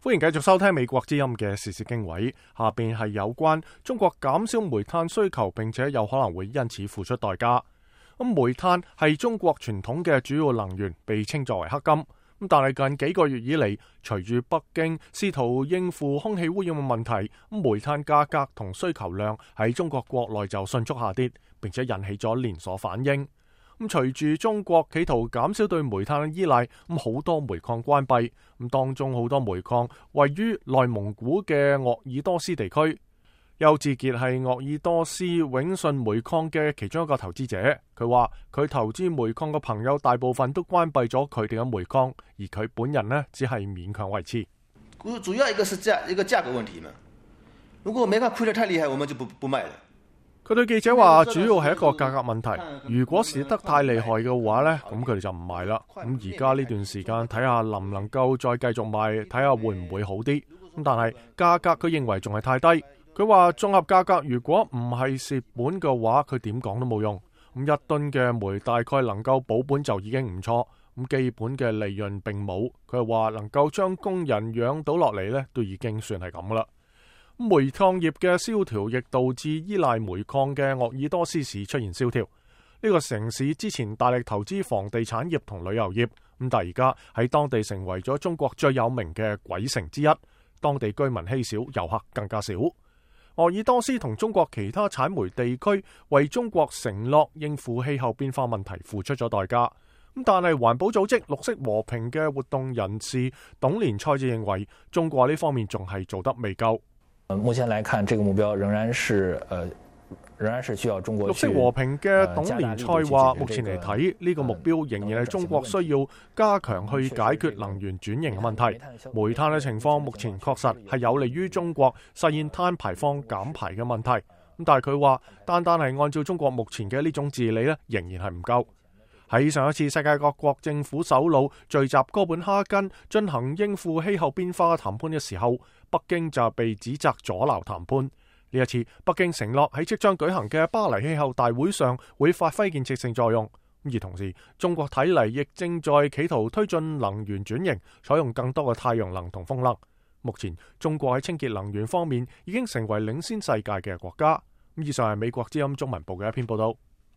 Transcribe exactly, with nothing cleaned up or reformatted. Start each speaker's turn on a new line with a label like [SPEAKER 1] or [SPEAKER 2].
[SPEAKER 1] 歡迎繼續收聽美國之音嘅時事經緯，下邊係有關中國減少煤炭需求，並且有可能會因此付出代價。咁煤炭係中國傳統嘅主要能源，被稱作為黑金。咁但係近幾個月以嚟，隨住北京試圖應付空氣污染嘅問題，咁煤炭價格同需求量喺中國國內就迅速下跌，並且引起咗連鎖反應。咁隨住中國企圖減少對煤炭嘅依賴，咁好多煤礦關閉，咁當中好多煤礦位於內蒙古嘅鄂爾多斯地區。邱志傑係鄂爾多斯永信煤礦嘅其中一個投資者，佢話佢投資煤礦嘅朋友大部分都關閉咗佢哋嘅煤礦，而佢本人呢只係勉強維持。
[SPEAKER 2] 主要一個是價一個價格問題嘛，如果煤礦虧得太厲害，我們就不不賣了。
[SPEAKER 1] 佢對記者話，主要係一個價格問題。如果蝕得太厲害嘅話呢，咁佢哋就唔賣啦。咁而家呢段時間睇下能唔能夠再繼續賣，睇下會唔會好啲。咁但係價格佢認為仲係太低。佢話綜合價格如果唔係蝕本嘅話，佢點講都冇用。咁一噸嘅煤大概能夠保本就已經唔錯。咁基本嘅利潤並冇。佢話能夠將工人養到落嚟呢，都已經算係咁啦。煤礦業嘅蕭條亦導致依賴煤礦嘅鄂爾多斯市出現蕭條。呢個城市之前大力投資房地產業同旅遊業，咁但係而家喺當地成為咗中國最有名嘅鬼城之一。當地居民稀少，遊客更加少。鄂爾多斯同中國其他產煤地區為中國承諾應付氣候變化問題付出咗代價。咁但係環保組織綠色和平嘅活動人士董連賽就認為，中國呢方面仲係做得未夠。
[SPEAKER 3] 目前來看，這個目標仍然是，呃，仍然是需要中國。
[SPEAKER 1] 綠色和平嘅董連賽話，目前嚟睇，呢個目標仍然係中國需要加強去解決能源轉型嘅問題。煤炭嘅情況目前確實係有利於中國實現碳排放減排嘅問題。咁但係佢話，單單係按照中國目前嘅呢種治理呢，仍然係唔夠。喺上一次世界各國政府首腦聚集哥本哈根進行應付氣候變化嘅談判嘅時候，北京就被指責阻撓談判。呢一次，北京承諾喺即將舉行嘅巴黎氣候大會上會發揮建設性作用。而同時，中國睇嚟亦正在企圖推進能源轉型，採用更多嘅太陽能同風能。目前，中國喺清潔能源方面已經成為領先世界嘅國家。以上係美國之音中文部嘅一篇報道。